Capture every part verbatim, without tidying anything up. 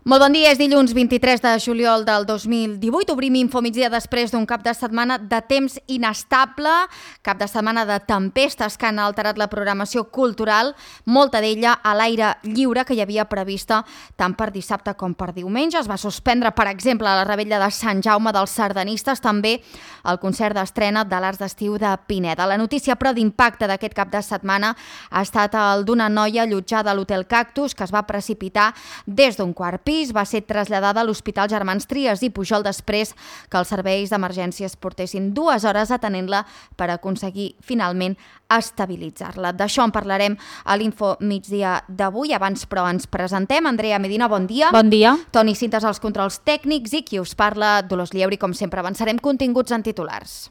Molt bon dia, és dilluns vint-i-tres de juliol del dos mil divuit. Obrim Infomigdia després d'un cap de setmana de temps inestable, cap de setmana de tempestes que han alterat la programació cultural, molta d'ella a l'aire lliure que hi havia prevista tant per dissabte com per diumenge. Es va suspendre, per exemple, la revetlla de Sant Jaume dels Sardanistes, també el concert d'estrena de l'Arts d'Estiu de Pineda. La notícia, però, d'impacte d'aquest cap de setmana ha estat el d'una noia allotjada a l'Hotel Cactus que es va precipitar des d'un quart pis, va ser traslladada a l'Hospital Germans Trias i Pujol després que els serveis d'emergències portessin dues hores atenent-la per aconseguir finalment estabilitzar-la. D'això en parlarem a l'Info Migdia d'avui. Abans, però, ens presentem. Andrea Medina, bon dia. Bon dia. Toni Cintas als controls tècnics i qui us parla, Dolors Lieuri. Com sempre, avançarem continguts en titulars.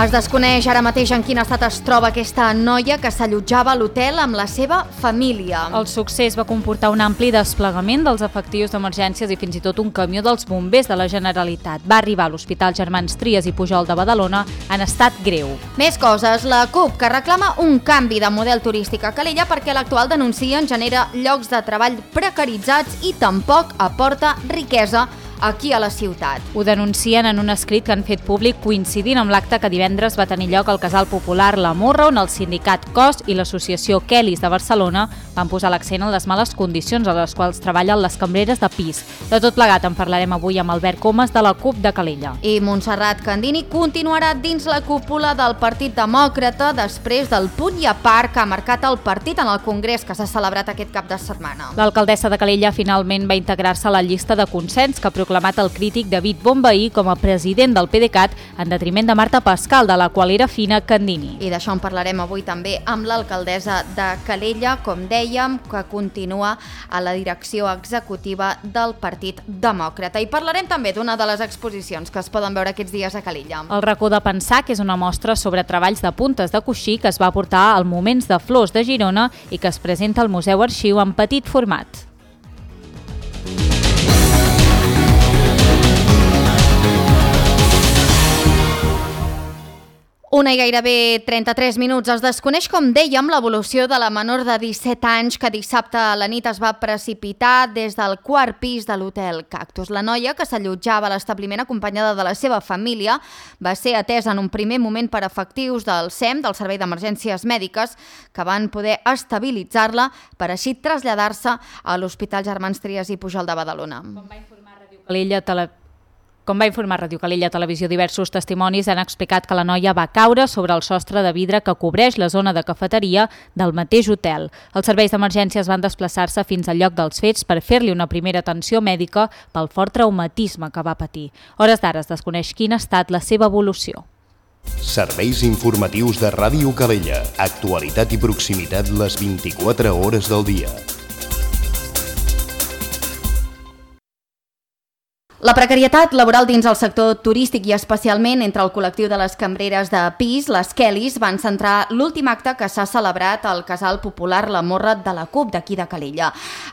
Es desconeix ara mateix en quin estat es troba aquesta noia que s'allotjava a l'hotel amb la seva família. El succés va comportar un ampli desplegament dels efectius d'emergències i fins i tot un camió dels bombers de la Generalitat. Va arribar a l'Hospital Germans Trias i Pujol de Badalona en estat greu. Més coses. La CUP, que reclama un canvi de model turístic a Calella perquè l'actual, denuncien, genera llocs de treball precaritzats i tampoc aporta riquesa aquí a la ciutat. Ho denuncien en un escrit que han fet públic coincidint amb l'acte que divendres va tenir lloc al Casal Popular La Morra, on el sindicat C O S i l'associació Kellys de Barcelona van posar l'accent en les males condicions a les quals treballen les cambreres de pis. De tot plegat en parlarem avui amb Albert Comas de la CUP de Calella. I Montserrat Candini continuarà dins la cúpula del Partit Demòcrata després del punt i a part que ha marcat el partit en el congrés que s'ha celebrat aquest cap de setmana. L'alcaldessa de Calella finalment va integrar-se a la llista de consens que proclama el crític David Bonvehí com a president del PDeCAT en detriment de Marta Pascal, de la qual era fina Candini. I d'això en parlarem avui també amb l'alcaldessa de Calella, com dèiem, que continua a la direcció executiva del Partit Demòcrata. I parlarem també d'una de les exposicions que es poden veure aquests dies a Calella. El racó de pensar, que és una mostra sobre treballs de puntes de coixí que es va portar al Moments de Flors de Girona i que es presenta al Museu Arxiu en petit format. Una i gairebé trenta-tres minuts. Es desconeix, com dèiem, l'evolució de la menor de disset anys que dissabte a la nit es va precipitar des del quart pis de l'Hotel Cactus. La noia, que s'allotjava a l'establiment acompanyada de la seva família, va ser atesa en un primer moment per efectius del S E M, del Servei d'Emergències Mèdiques, que van poder estabilitzar-la per així traslladar-se a l'Hospital Germans Trias i Pujol de Badalona. Com va informar Ràdio Calella Televisió, Com va informar Ràdio Calella Televisió, diversos testimonis han explicat que la noia va caure sobre el sostre de vidre que cobreix la zona de cafeteria del mateix hotel. Els serveis d'emergències van desplaçar-se fins al lloc dels fets per fer-li una primera atenció mèdica pel fort traumatisme que va patir. Hores d'ara es desconeix quina ha estat la seva evolució. Serveis informatius de Ràdio Calella. Actualitat i proximitat les vint-i-quatre hores del dia. La precarietat laboral dins el sector turístic i especialment entre el col·lectiu de les cambreres de pis, les Kellys, van centrar l'últim acte que s'ha celebrat al Casal Popular La Morra de la CUP d'aquí de Calella.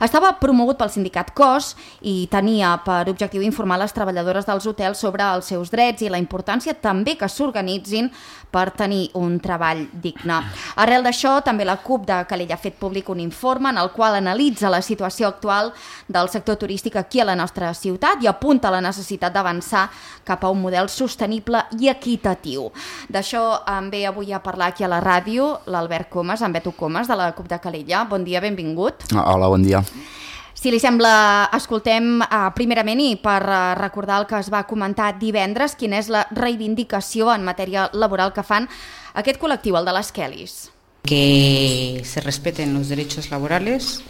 Estava promogut pel sindicat C O S i tenia per objectiu informar les treballadores dels hotels sobre els seus drets i la importància també que s'organitzin per tenir un treball digne. Arrel d'això, també la CUP de Calella ha fet públic un informe en el qual analitza la situació actual del sector turístic aquí a la nostra ciutat i apunta a la necessitat d'avançar cap a un model sostenible i equitatiu. D'això em ve avui a parlar aquí a la ràdio l'Albert Comas, en Beto Comas, de la CUP de Calella. Bon dia, benvingut. Hola, bon dia. Si li sembla, escoltem uh, primerament i per uh, recordar el que es va comentar divendres, quina és la reivindicació en matèria laboral que fan aquest col·lectiu, el de les Kellys. Que se respeten los derechos laborales,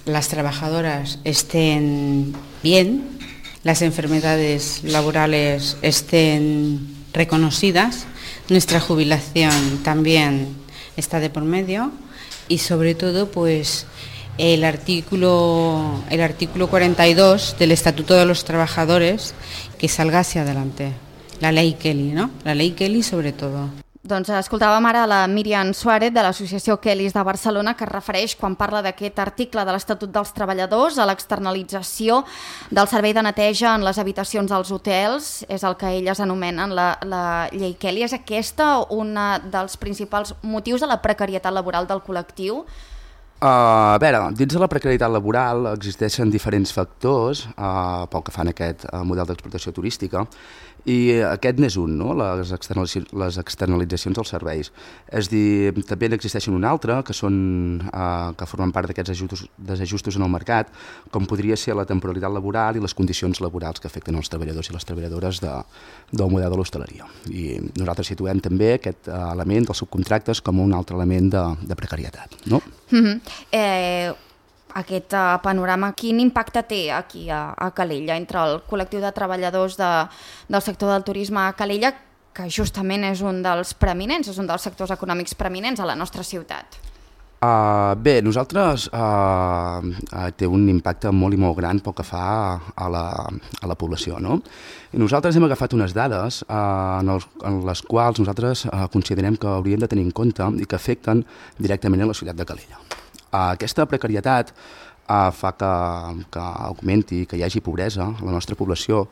las trabajadoras estén bien, las enfermedades laborales estén reconocidas, nuestra jubilación también está de por medio y sobre todo pues el artículo, el artículo cuarenta y dos del Estatuto de los Trabajadores que salga hacia adelante, la ley Kelly, ¿no? La ley Kelly sobre todo. Doncs escoltàvem ara la Míriam Suárez de l'Associació Kellys de Barcelona, que es refereix, quan parla d'aquest article de l'Estatut dels Treballadors, a l'externalització del servei de neteja en les habitacions dels hotels. És el que elles anomenen la, la llei Kelly. És aquesta un dels principals motius de la precarietat laboral del col·lectiu? Uh, a veure, dins de la precarietat laboral existeixen diferents factors uh, pel que fan a aquest uh, model d'explotació turística, i aquest n'és un, no? les, externalitzacions, les externalitzacions dels serveis. És dir, també n'existeixen un altre, que són uh, que formen part d'aquests ajustos, desajustos en el mercat, com podria ser la temporalitat laboral i les condicions laborals que afecten els treballadors i les treballadores de, del model de l'hostaleria. I nosaltres situem també aquest uh, element dels subcontractes com un altre element de, de precarietat, no? Mm-hmm. Eh, aquest uh, panorama, quin impacte té aquí a, a Calella entre el col·lectiu de treballadors de, del sector del turisme a Calella, que justament és un dels preeminents, és un dels sectors econòmics preeminents a la nostra ciutat? Uh, bé, nosaltres uh, uh, té un impacte molt i molt gran pel que fa a la, a la població, no? I nosaltres hem agafat unes dades uh, en, els, en les quals nosaltres uh, considerem que hauríem de tenir en compte i que afecten directament a la ciutat de Calella. Uh, aquesta precarietat uh, fa que, que augmenti, que hi hagi pobresa a la nostra població,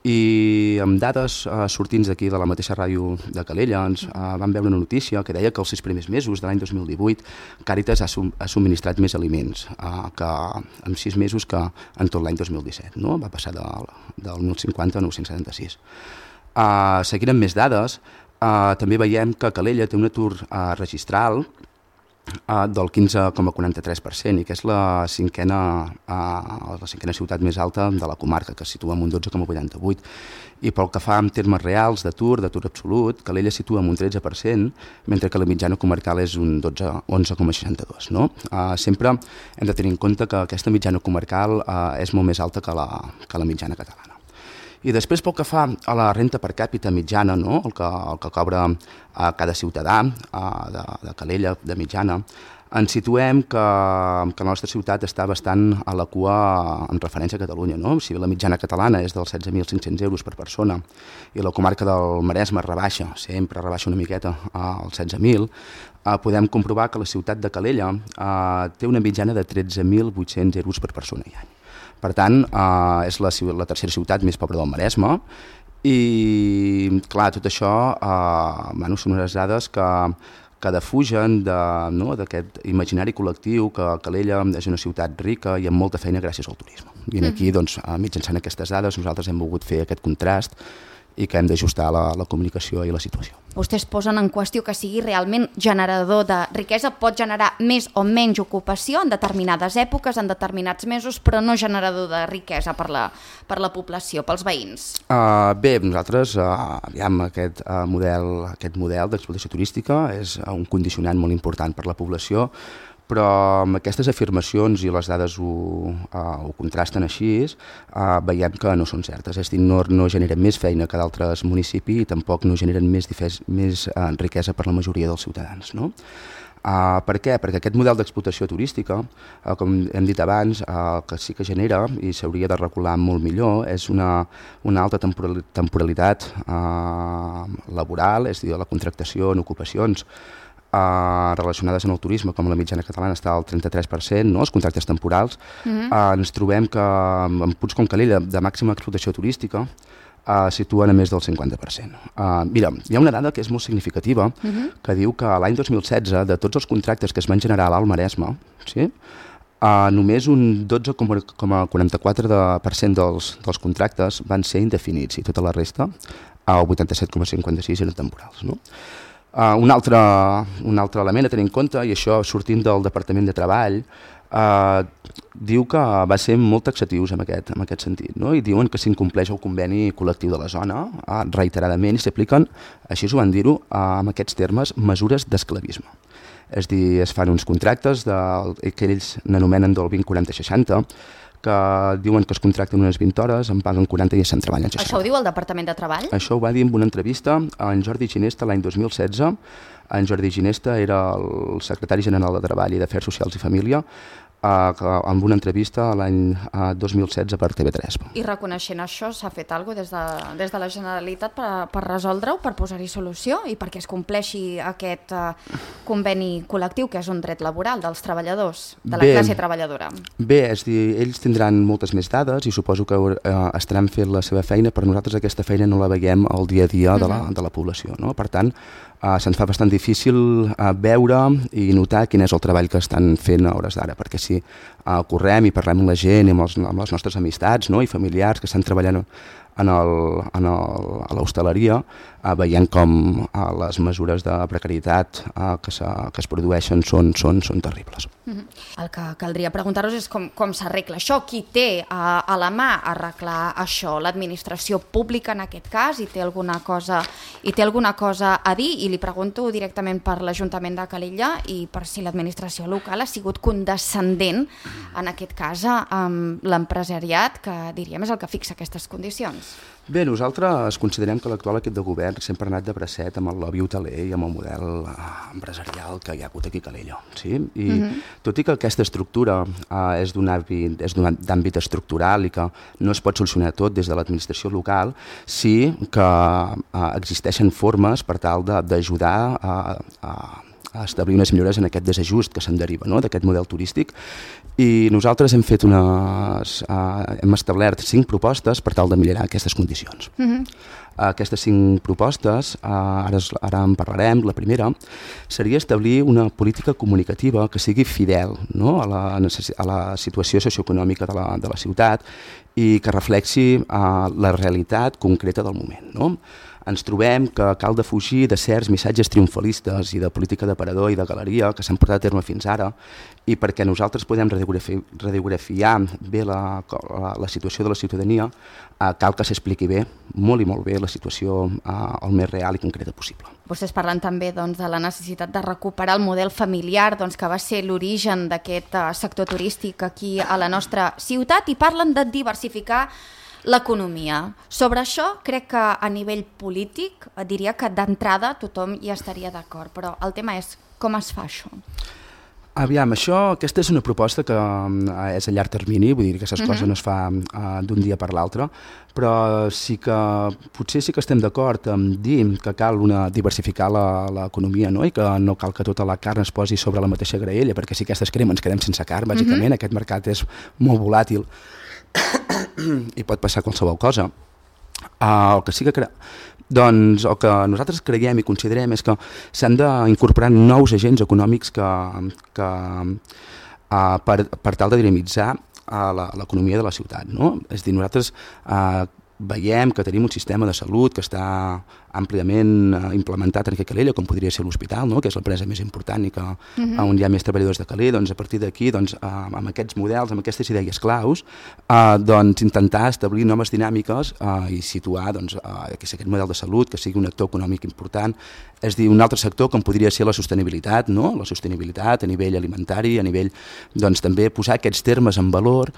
i amb dades uh, sortins d'aquí de la mateixa ràdio de Calella ens uh, vam veure una notícia que deia que els sis primers mesos de l'any dos mil divuit Càritas ha, sum, ha subministrat més aliments uh, que en sis mesos que en tot l'any dos mil disset, no? Va passar del, del mil cinquanta a nou-cents setanta-sis. Uh, seguint amb més dades, uh, també veiem que Calella té un atur uh, registral Uh, del quinze coma quaranta-tres per cent, i que és la cinquena, uh, la cinquena ciutat més alta de la comarca, que es situa en un dotze coma vuitanta-vuit. I pel que fa en termes reals d'atur, d'atur absolut, Calella situa en un tretze per cent, mentre que la mitjana comarcal és un onze coma seixanta-dos. No? Uh, sempre hem de tenir en compte que aquesta mitjana comarcal uh, és molt més alta que la, que la mitjana catalana. I després, pel que fa a la renta per càpita mitjana, no? el, que, el que cobra a cada ciutadà a, de, de Calella, de mitjana, ens situem que, que la nostra ciutat està bastant a la cua en referència a Catalunya. No? Si la mitjana catalana és dels setze mil cinc-cents euros per persona i la comarca del Maresme rebaixa, sempre rebaixa una miqueta als setze mil, eh, podem comprovar que la ciutat de Calella eh, té una mitjana de tretze mil vuit-cents euros per persona i any. Per tant, eh, és la, la tercera ciutat més pobra del Maresme i, clar, tot això eh, bueno, són unes dades que, que defugen de, no, d'aquest imaginari col·lectiu que Calella és una ciutat rica i amb molta feina gràcies al turisme. I aquí, doncs, mitjançant aquestes dades, nosaltres hem volgut fer aquest contrast i que hem d'ajustar la, la comunicació i la situació. Vostès posen en qüestió que sigui realment generador de riquesa, pot generar més o menys ocupació en determinades èpoques, en determinats mesos, però no generador de riquesa per la, per la població, pels veïns. Uh, bé, nosaltres, uh, aviam, aquest, uh, model, aquest model d'explotació turística és un condicionant molt important per la població, però amb aquestes afirmacions i les dades ho, uh, ho contrasten així, uh, veiem que no són certes. És a dir, no, no generen més feina que d'altres municipis i tampoc no generen més, difes, més uh, riquesa per la majoria dels ciutadans. No? Uh, per què? Perquè aquest model d'explotació turística, uh, com hem dit abans, uh, que sí que genera i s'hauria de regular molt millor, és una, una alta temporalitat uh, laboral, és a dir, la contractació en ocupacions Uh, relacionades amb el turisme, com la mitjana catalana està al trenta-tres per cent, no? Els contractes temporals, uh-huh. uh, ens trobem que en punts com Calella, de màxima explotació turística, uh, situen a més del cinquanta per cent. Uh, mira, hi ha una dada que és molt significativa, uh-huh. que diu que l'any dos mil setze, de tots els contractes que es van generar a l'Alt Maresme, sí? Uh, només un dotze coma quaranta-quatre per cent dels, dels contractes van ser indefinits i tota la resta, el vuitanta-set coma cinquanta-sis eren temporals, no? Uh, un, altre, un altre element a tenir en compte, i això sortint del Departament de Treball, uh, diu que va ser molt taxatius en aquest, en aquest sentit, no? I diuen que s'incompleix el conveni col·lectiu de la zona uh, reiteradament i s'apliquen, així ho van dir-ho, uh, en aquests termes, mesures d'esclavisme. És a dir, es fan uns contractes de, que ells n'anomenen del vint quaranta seixanta, que diuen que es contracten unes vint hores, en paguen quaranta i se'n treballen seixanta. Això ho diu el Departament de Treball? Això ho va dir en una entrevista a en Jordi Ginesta l'any dos mil setze, en Jordi Ginesta era el secretari general de Treball i d'Afers Socials i Família, amb una entrevista l'any dos mil setze per T V tres. I reconeixent això, s'ha fet alguna cosa des de, des de la Generalitat per, per resoldre-ho, per posar-hi solució i perquè es compleixi aquest uh, conveni col·lectiu, que és un dret laboral dels treballadors, de la Bé, classe treballadora? Bé, és dir, ells tindran moltes més dades i suposo que uh, estaran fent la seva feina, però nosaltres aquesta feina no la veiem al dia a dia de la, de la població, no? Per tant, Uh, se'ns fa bastant difícil uh, veure i notar quin és el treball que estan fent a hores d'ara, perquè si uh, correm i parlem amb la gent i amb, els, amb les nostres amistats, no? I familiars que estan treballant en el, en el, a l'hostaleria, uh, veient com uh, les mesures de precarietat uh, que, se, que es produeixen són, són, són terribles. Mm-hmm. El que caldria preguntar-vos és com, com s'arregla això, qui té a, a la mà arreglar això, l'administració pública en aquest cas, i té alguna cosa, i té alguna cosa a dir, i li pregunto directament per l'Ajuntament de Calella i per si l'administració local ha sigut condescendent, en aquest cas, amb l'empresariat, que diríem és el que fixa aquestes condicions. Bé, nosaltres considerem que l'actual equip de govern sempre ha anat de bracet amb el lobby hoteler i amb el model eh, empresarial que hi ha hagut aquí a Calella. Sí? I mm-hmm. tot i que aquesta estructura eh, és d'un àmbit estructural i que no es pot solucionar tot des de l'administració local, sí que eh, existeixen formes per tal d'ajudar a, a, a establir unes millores en aquest desajust que se'n deriva, no?, d'aquest model turístic. I nosaltres hem fet unes, uh, hem establert cinc propostes per tal de millorar aquestes condicions. Mm-hmm. uh, aquestes cinc propostes, uh, ara, ara en parlarem, la primera seria establir una política comunicativa que sigui fidel, no?, a, la a la situació socioeconòmica de la, de la ciutat i que reflexi uh, la realitat concreta del moment, no? Ens trobem que cal defugir de certs missatges triomfalistes i de política d'aparador i de galeria que s'han portat a terme fins ara, i perquè nosaltres podem radiografi radiografiar bé la, la, la situació de la ciutadania, eh, cal que s'expliqui bé, molt i molt bé, la situació eh, el més real i concreta possible. Vostès parlen també doncs, de la necessitat de recuperar el model familiar, doncs, que va ser l'origen d'aquest uh, sector turístic aquí a la nostra ciutat, i parlen de diversificar l'economia. Sobre això crec que a nivell polític diria que d'entrada tothom hi estaria d'acord, però el tema és com es fa això? Aviam, això, aquesta és una proposta que uh, és a llarg termini, vull dir que aquestes uh-huh. coses no es fa uh, d'un dia per l'altre, però sí que potser sí que estem d'acord en dir que cal una, diversificar l'economia, no? I que no cal que tota la carn es posi sobre la mateixa graella, perquè si aquestes crema ens quedem sense carn, bàsicament, uh-huh. aquest mercat és molt volàtil i pot passar qualsevol cosa. Uh, el que sí que cre... doncs el que nosaltres creiem i considerem és que s'han d'incorporar nous agents econòmics que, que uh, per, per tal de dinamitzar uh, l'economia de la ciutat, no? És a dir, nosaltres uh, veiem que tenim un sistema de salut que està àmpliament uh, implementat en Calella, com podria ser l'hospital, no?, que és l'empresa més important i que uh-huh. on hi ha més treballadors de Calella. Doncs a partir d'aquí, doncs, uh, amb aquests models, amb aquestes idees claus, uh, doncs, intentar establir noves dinàmiques uh, i situar doncs, uh, aquest model de salut que sigui un actor econòmic important. És dir, un altre sector com podria ser la sostenibilitat, no?, la sostenibilitat a nivell alimentari, a nivell, doncs, també posar aquests termes en valor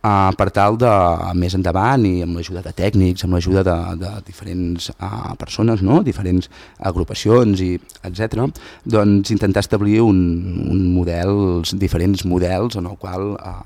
Uh, per tal de, més endavant, i amb l'ajuda de tècnics, amb l'ajuda de, de diferents uh, persones, no?, diferents agrupacions, i etcètera, doncs intentar establir un, un model, diferents models en el qual uh,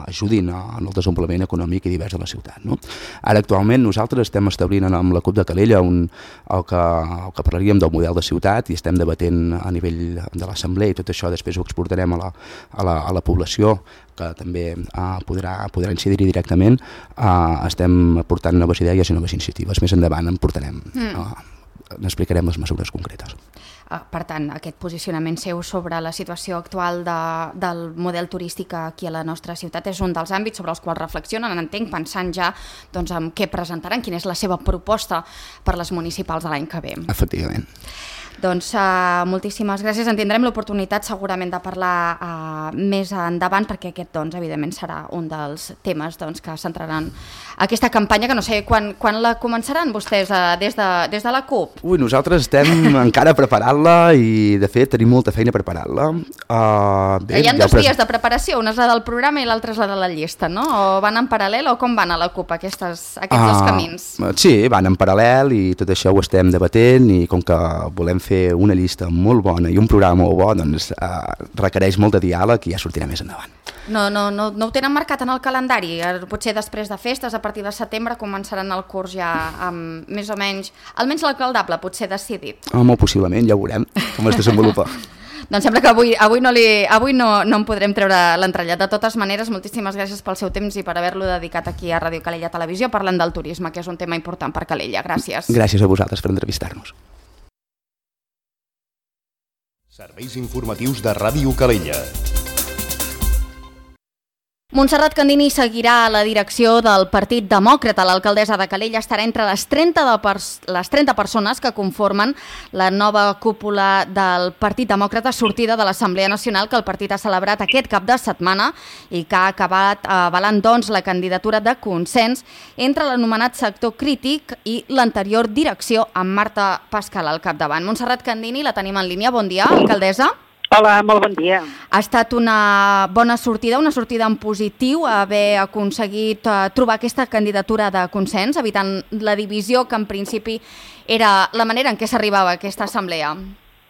ajudin en el desenvolupament econòmic i divers de la ciutat, no? Ara, actualment, nosaltres estem establint amb la CUP de Calella un, el, que, el que parlaríem del model de ciutat, i estem debatent a nivell de l'assemblea, i tot això després ho exportarem a la, a la, a la població, que també uh, podrà, podrà incidir-hi directament. Uh, estem portant noves idees i noves iniciatives. Més endavant en portarem, mm. uh, n'explicarem les mesures concretes. Uh, per tant, aquest posicionament seu sobre la situació actual de, del model turístic aquí a la nostra ciutat és un dels àmbits sobre els quals reflexionen, entenc, pensant ja doncs, en què presentaran, quina és la seva proposta per les municipals de l'any que ve. Efectivament. Doncs uh, moltíssimes gràcies. En tindrem l'oportunitat segurament de parlar uh, més endavant, perquè aquest, doncs, evidentment, serà un dels temes doncs, que centraran aquesta campanya, que no sé quan, quan la començaran vostès eh, des, de, des de la CUP? Ui, nosaltres estem encara preparant-la i, de fet, tenim molta feina preparant-la. Uh, bé, Hi ha dos pres... dies de preparació, una és la del programa i l'altra és la de la llista, no? O van en paral·lel o com van a la CUP aquestes, aquests uh, dos camins? Sí, van en paral·lel i tot això ho estem debatent i com que volem fer una llista molt bona i un programa molt bo, doncs uh, requereix molt de diàleg i ja sortirà més endavant. No, no, no, no ho tenen marcat en el calendari? Potser després de festes, a partir de setembre, començaran el curs ja amb més o menys, almenys l'alcaldable, potser decidit. Oh, molt possiblement, ja ho veurem com es desenvolupa. Doncs sembla que avui, avui, no, li, avui no, no en podrem treure l'entrellat. De totes maneres, moltíssimes gràcies pel seu temps i per haver-lo dedicat aquí a Ràdio Calella Televisió parlant del turisme, que és un tema important per Calella. Gràcies. Gràcies a vosaltres per entrevistar-nos. Serveis informatius de Ràdio Calella. Montserrat Candini seguirà a la direcció del Partit Demòcrata. L'alcaldessa de Calella estarà entre les trenta, de pers les trenta persones que conformen la nova cúpula del Partit Demòcrata sortida de l'Assemblea Nacional que el partit ha celebrat aquest cap de setmana i que ha acabat avalant doncs, la candidatura de consens entre l'anomenat sector crític i l'anterior direcció amb Marta Pascal al capdavant. Montserrat Candini, la tenim en línia. Bon dia, alcaldessa. Hola, molt bon dia. Ha estat una bona sortida, una sortida en positiu, haver aconseguit uh, trobar aquesta candidatura de consens, evitant la divisió que en principi era la manera en què s'arribava a aquesta assemblea.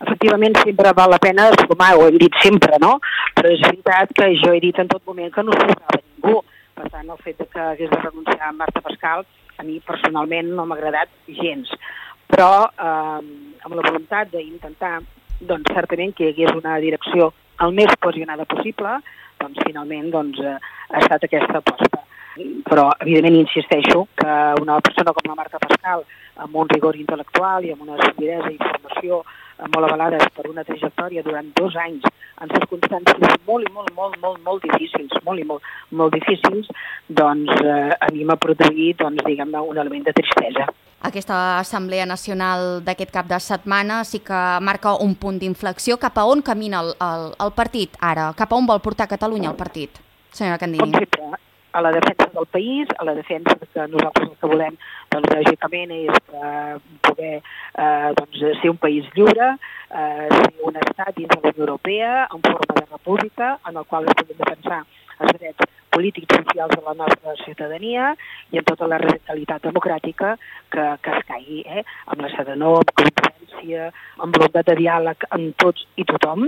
Efectivament, sempre val la pena sumar, ho hem dit sempre, no? Però és veritat que jo he dit en tot moment que no sobrava ningú. Per tant, el fet que hagués de renunciar a Marta Pascal, a mi personalment no m'ha agradat gens. Però eh, amb la voluntat d'intentar doncs certament que hi hagués una direcció el més cohesionada possible, doncs finalment doncs, eh, ha estat aquesta aposta. Però, evidentment, insisteixo que una persona com la Marta Pascal, amb un rigor intel·lectual i amb una solidesa i formació molt avalades per una trajectòria durant dos anys en circumstàncies molt i molt, molt, molt, molt difícils, molt i molt, molt difícils, doncs eh, a mi m'ha produït, doncs, diguem-ne, un element de tristesa. Aquesta Assemblea Nacional d'aquest cap de setmana sí que marca un punt d'inflexió. Cap a on camina el, el, el partit ara? Cap a on vol portar Catalunya el partit, senyora Candini? Com sempre, a la defensa del país, a la defensa que nosaltres el que volem, doncs, lògicament, és eh, poder eh, doncs, ser un país lliure, eh, ser un estat dins de la Unió Europea, en forma de república, en el qual es puguin defensar els drets polítics i socials de la nostra ciutadania i en tota la radicalitat democràtica que, que es caigui, eh? amb la serenor, amb competència, amb voluntat de diàleg amb tots i tothom,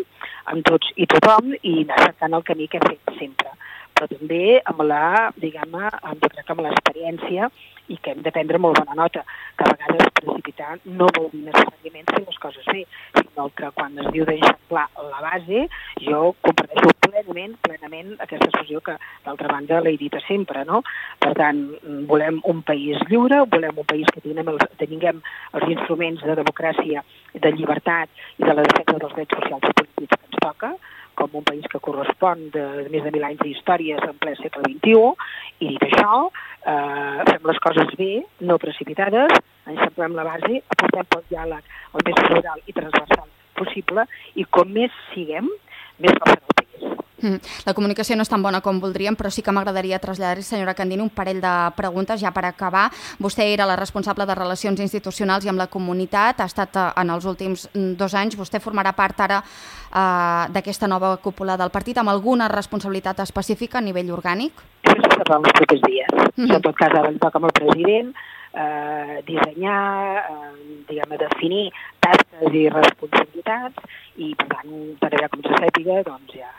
amb tots i tothom i anar cercant el camí que hem fet sempre. Però també amb la, diguem-ne, jo crec que amb l'experiència i que hem de prendre molt bona nota, que a vegades precipitar no vol dir necessàriament fer les coses bé, sinó que quan es diu d'eixamplar la base, jo comparteixo plenament, plenament aquesta expressió que d'altra banda l'he dit sempre, no? Per tant, volem un país lliure, volem un país que tinguem els, tinguem els instruments de democràcia, de llibertat i de la defensa dels drets socials i polítics que ens toca, com un país que correspon de, de més de mil anys d'històries en ple segle vint-i-u, i dit això, eh, fem les coses bé, no precipitades, enxamplem la base, aportem pel diàleg el més plural i transversal possible, i com més siguem, més força el país. Mm. La comunicació no és tan bona com voldríem, però sí que m'agradaria traslladar-hi, senyora Candini, un parell de preguntes ja per acabar. Vostè era la responsable de Relacions Institucionals i amb la comunitat, ha estat en els últims dos anys. Vostè formarà part ara eh, d'aquesta nova cúpula del partit amb alguna responsabilitat específica a nivell orgànic? Això es farà els propers dies. Mm-hmm. En tot cas, ara li toca amb el president eh, dissenyar, eh, diguem-ne, definir tasques i responsabilitats i, per tant, per allà com se sàpiga, doncs ja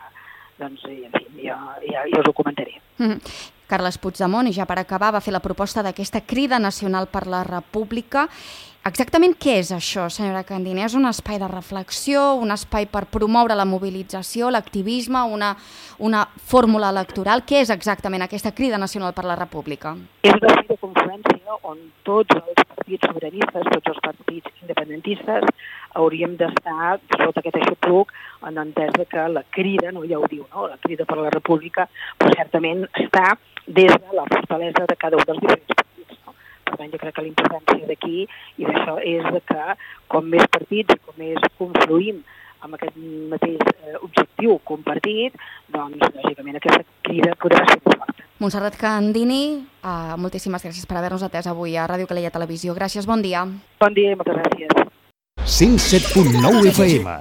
doncs, en fi, jo, ja, jo us ho comentaré. Mm-hmm. Carles Puigdemont, i ja per acabar, va fer la proposta d'aquesta Crida Nacional per la República. Exactament què és això, senyora Candini? És un espai de reflexió, un espai per promoure la mobilització, l'activisme, una, una fórmula electoral? Què és exactament aquesta Crida Nacional per la República? És una espai de confluència on tots els partits sobiranistes, tots els partits independentistes hauríem d'estar sota aquest aixopluc en entesa que la crida, no, ja ho diu, no? La Crida per la República, però certament està des de la fortalesa de cada un dels diferents partits. No? Per tant, jo crec que la importància d'aquí i d'això és que com més partits i com més confluïm amb aquest mateix eh, objectiu compartit, doncs, lògicament, aquesta crida podrà ser més forta. Montserrat Candini, uh, moltíssimes gràcies per haver-nos atès avui a Ràdio Calella Televisió. Gràcies, bon dia. Bon dia i moltes gràcies. cent set punt nou F M.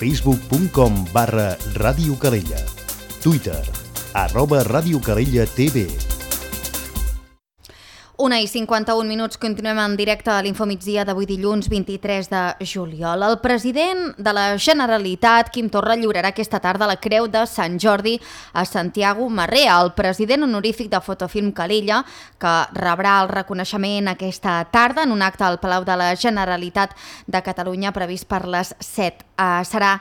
facebook punt com barra Ràdio Calella. Twitter, arroba Ràdio Calella T V. Una i cinquanta-un minuts, continuem en directe a l'Infomigdia d'avui dilluns vint-i-tres de juliol. El president de la Generalitat, Quim Torra, lliurarà aquesta tarda la Creu de Sant Jordi a Santiago Marrea, el president honorífic de Fotofilm Calella, que rebrà el reconeixement aquesta tarda en un acte al Palau de la Generalitat de Catalunya previst per les set. Uh, serà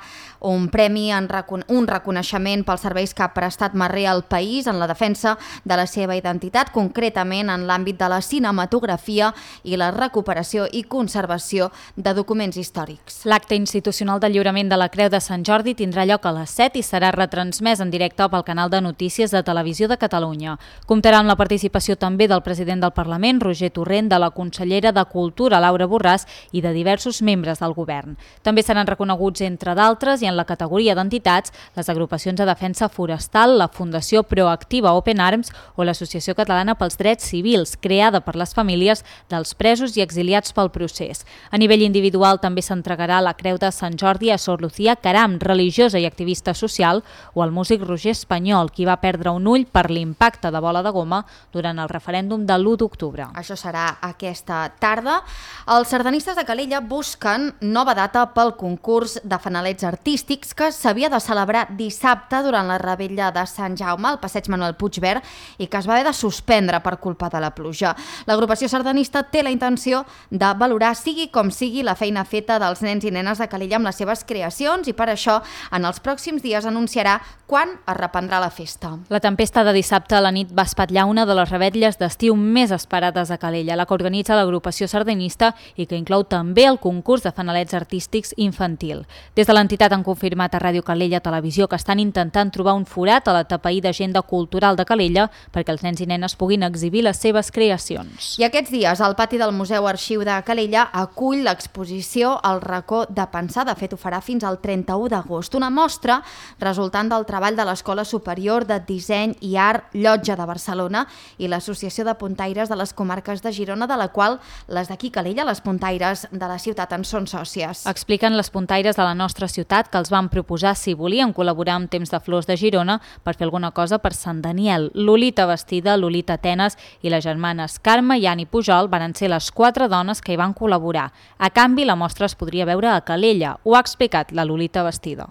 un premi, en recon un reconeixement pels serveis que ha prestat Marrea al país en la defensa de la seva identitat, concretament en l'àmbit de la cinematografia i la recuperació i conservació de documents històrics. L'acte institucional de lliurament de la Creu de Sant Jordi tindrà lloc a les set i serà retransmès en directe pel canal de notícies de Televisió de Catalunya. Comptarà amb la participació també del president del Parlament, Roger Torrent, de la consellera de Cultura, Laura Borràs, i de diversos membres del govern. També seran reconeguts, entre d'altres, i en la categoria d'entitats, les agrupacions de defensa forestal, la Fundació Proactiva Open Arms o l'Associació Catalana pels Drets Civils, creada per les famílies dels presos i exiliats pel procés. A nivell individual també s'entregarà la Creu de Sant Jordi a Sor Lucía Caram, religiosa i activista social, o al músic Roger Espanyol, qui va perdre un ull per l'impacte de bola de goma durant el referèndum de l'u d'octubre. Això serà aquesta tarda. Els sardanistes de Calella busquen nova data pel concurs de fanalets artístics que s'havia de celebrar dissabte durant la revetlla de Sant Jaume al passeig Manuel Puigverd i que es va haver de suspendre per culpa de la pluja. L'agrupació sardanista té la intenció de valorar, sigui com sigui, la feina feta dels nens i nenes de Calella amb les seves creacions i per això en els pròxims dies anunciarà quan es reprendrà la festa. La tempesta de dissabte a la nit va espatllar una de les revetlles d'estiu més esperades a Calella, la que organitza l'agrupació sardanista i que inclou també el concurs de fanalets artístics infantil. Des de l'entitat han confirmat a Ràdio Calella Televisió que estan intentant trobar un forat a la tapaïda agenda cultural de Calella perquè els nens i nenes puguin exhibir les seves creacions. I aquests dies el pati del Museu Arxiu de Calella acull l'exposició El racó de pensar. De fet, ho farà fins al trenta-u d'agost. Una mostra resultant del treball de l'Escola Superior de Disseny i Art Llotja de Barcelona i l'Associació de Puntaires de les Comarques de Girona, de la qual les d'aquí Calella, les puntaires de la ciutat, en són sòcies. Expliquen les puntaires de la nostra ciutat que els van proposar si volien col·laborar amb Temps de Flors de Girona per fer alguna cosa per Sant Daniel. Lolita Bastida, Lolita Atenes i les germanes Carme i Ani Pujol van ser les quatre dones que hi van col·laborar. A canvi, la mostra es podria veure a Calella. Ho ha explicat la Lolita Bastida.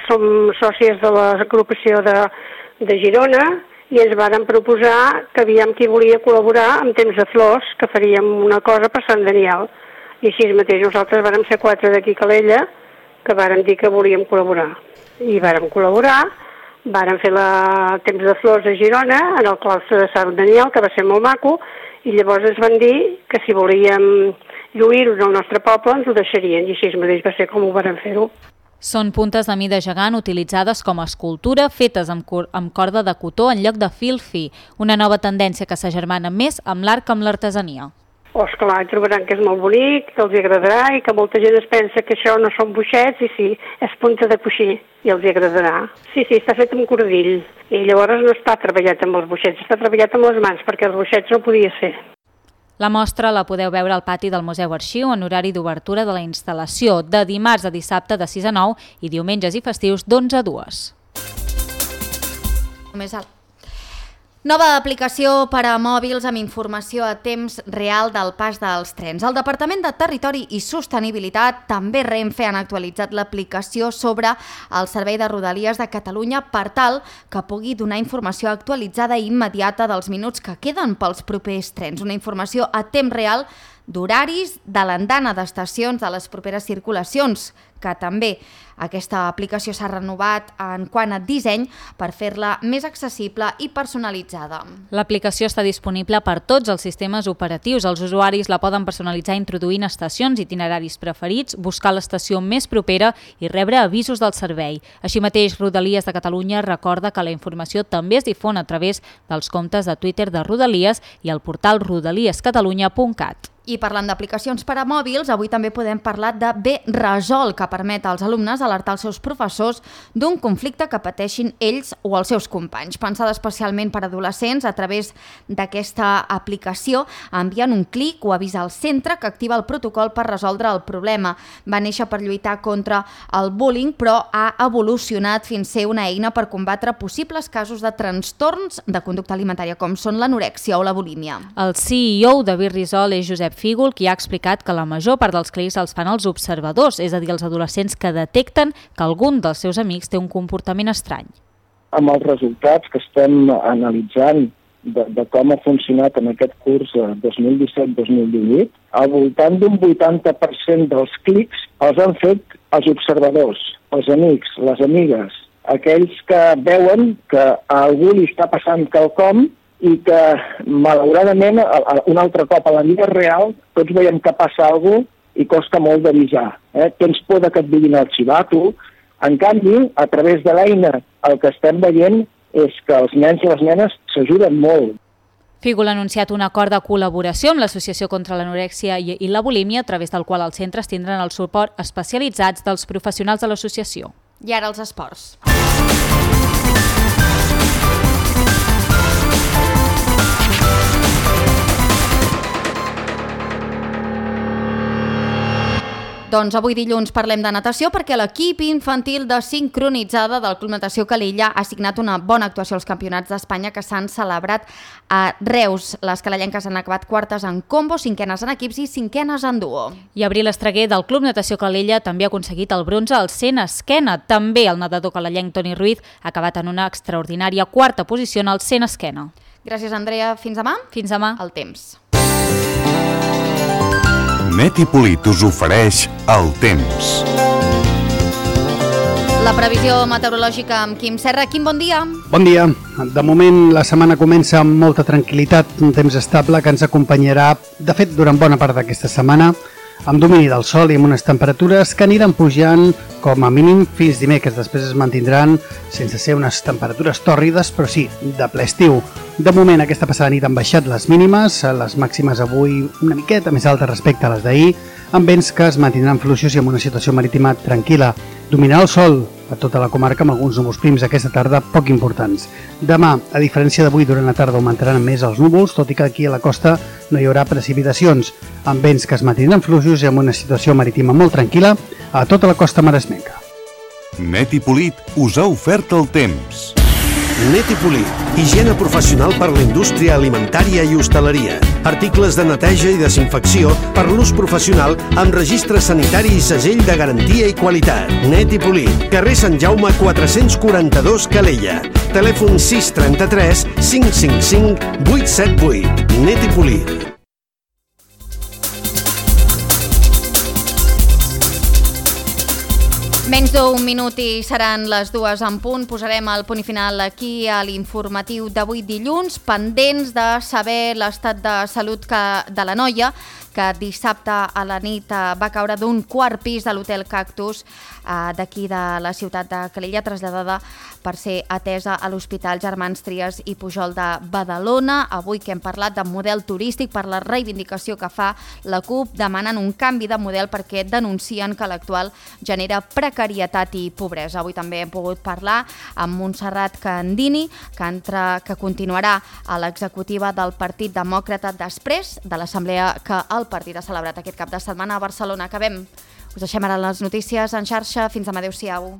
Som sòcies de l'agrupació de, de Girona i ens varen proposar que aviam qui volia col·laborar amb Temps de Flors, que faríem una cosa per Sant Daniel. I així mateix nosaltres vàrem ser quatre d'aquí a Calella que vàrem dir que volíem col·laborar. I vàrem col·laborar, vàrem fer la Temps de Flors a Girona, en el claustre de Sant Daniel, que va ser molt maco, i llavors ens van dir que si volíem lluir-ho en el nostre poble ens ho deixarien, i així mateix va ser com ho vàrem fer-ho. Són puntes de mida gegant utilitzades com a escultura, fetes amb, amb corda de cotó en lloc de fil fi, una nova tendència que s'agermana més amb l'art que amb l'artesania. Oh, esclar, trobaran que és molt bonic, que els agradarà i que molta gent es pensa que això no són boixets i sí, és punta de coixí i els agradarà. Sí, sí, està fet amb cordill i llavors no està treballat amb els boixets, està treballat amb les mans perquè els boixets no podia ser. La mostra la podeu veure al pati del Museu Arxiu en horari d'obertura de la instal·lació de dimarts a dissabte de sis a nou i diumenges i festius d'onze a dues. Només alt. Nova aplicació per a mòbils amb informació a temps real del pas dels trens. El Departament de Territori i Sostenibilitat, també Renfe, han actualitzat l'aplicació sobre el Servei de Rodalies de Catalunya per tal que pugui donar informació actualitzada i immediata dels minuts que queden pels propers trens. Una informació a temps real d'horaris, de l'andana d'estacions de les properes circulacions, que també aquesta aplicació s'ha renovat en quant a disseny per fer-la més accessible i personalitzada. L'aplicació està disponible per tots els sistemes operatius. Els usuaris la poden personalitzar introduint estacions, itineraris preferits, buscar l'estació més propera i rebre avisos del servei. Així mateix, Rodalies de Catalunya recorda que la informació també es difon a través dels comptes de Twitter de Rodalies i al portal rodalies catalunya punt cat. I parlant d'aplicacions per a mòbils, avui també podem parlar de B-Resol, que permet als alumnes alertar els seus professors d'un conflicte que pateixin ells o els seus companys. Pensada especialment per a adolescents, a través d'aquesta aplicació envien un clic o avisa al centre que activa el protocol per resoldre el problema. Va néixer per lluitar contra el bullying, però ha evolucionat fins a ser una eina per combatre possibles casos de trastorns de conducta alimentària, com són l'anorèxia o la bulímia. El C E O de B-Resol és Josep Fígol, qui ha explicat que la major part dels clics els fan els observadors, és a dir, els adolescents que detecten que algun dels seus amics té un comportament estrany. Amb els resultats que estem analitzant de, de com ha funcionat en aquest curs dos mil disset dos mil divuit, al voltant d'un vuitanta per cent dels clics els han fet els observadors, els amics, les amigues, aquells que veuen que a algú li està passant quelcom i que, malauradament, un altre cop a la vida real, tots veiem que passa alguna cosa i costa molt d'avisar. Eh? Tens por que et vinguin a arxivar, tu. En canvi, a través de l'eina, el que estem veient és que els nens i les nenes s'ajuden molt. Fígol ha anunciat un acord de col·laboració amb l'Associació contra l'Anorèxia i la Bulímia, a través del qual els centres tindran el suport especialitzats dels professionals de l'associació. I ara els esports. Doncs avui dilluns parlem de natació perquè l'equip infantil de sincronitzada del Club Natació Calella ha signat una bona actuació als campionats d'Espanya que s'han celebrat a Reus. Les calellenques han acabat quartes en combo, cinquenes en equips i cinquenes en duo. I Abril Estreguer del Club Natació Calella també ha aconseguit el bronze al cent esquena. També el nedador calellenc Toni Ruiz ha acabat en una extraordinària quarta posició en el cent esquena. Gràcies, Andrea. Fins demà. Fins demà. El temps. Metipolit us ofereix el temps. La previsió meteorològica amb Quim Serra. Quim, bon dia. Bon dia. De moment la setmana comença amb molta tranquil·litat, un temps estable que ens acompanyarà, de fet, durant bona part d'aquesta setmana, amb domini del sol i amb unes temperatures que aniran pujant com a mínim fins dimecres. Després es mantindran sense ser unes temperatures tòrrides, però sí, de ple estiu. De moment, aquesta passada nit han baixat les mínimes, les màximes avui una miqueta més altes respecte a les d'ahir, amb vents que es mantindran fluixos i amb una situació marítima tranquil·la. Dominarà el sol a tota la comarca amb alguns núvols prims aquesta tarda poc importants. Demà, a diferència d'avui, durant la tarda augmentaran més els núvols, tot i que aquí a la costa no hi haurà precipitacions, amb vents que es mantindran fluixos i amb una situació marítima molt tranquil·la a tota la costa maresmenca. Metipolit us ha ofert el temps. Netipolit, higiene professional per la indústria alimentària i hostaleria. Articles de neteja i desinfecció per l'ús professional amb registre sanitari i segell de garantia i qualitat. Netipolit, carrer Sant Jaume quatre-cents quaranta-dos Calella. Telèfon sis trenta-tres cinc cinc cinc vuit set vuit. Netipolit. Menys d'un minut i seran les dues en punt. Posarem el punt i final aquí a l'informatiu d'avui dilluns, pendents de saber l'estat de salut que, de la noia que dissabte a la nit va caure d'un quart pis de l'Hotel Cactus eh, d'aquí de la ciutat de Calella, traslladada per ser atesa a l'Hospital Germans Trias i Pujol de Badalona. Avui que hem parlat de model turístic per la reivindicació que fa la CUP, demanen un canvi de model perquè denuncien que l'actual genera precarietat i pobresa. Avui també hem pogut parlar amb Montserrat Candini, que, entra, que continuarà a l'executiva del Partit Demòcrata després de l'assemblea que el partit ha celebrat aquest cap de setmana a Barcelona. Acabem. Us deixem ara les notícies en xarxa. Fins demà. Adéu-siau.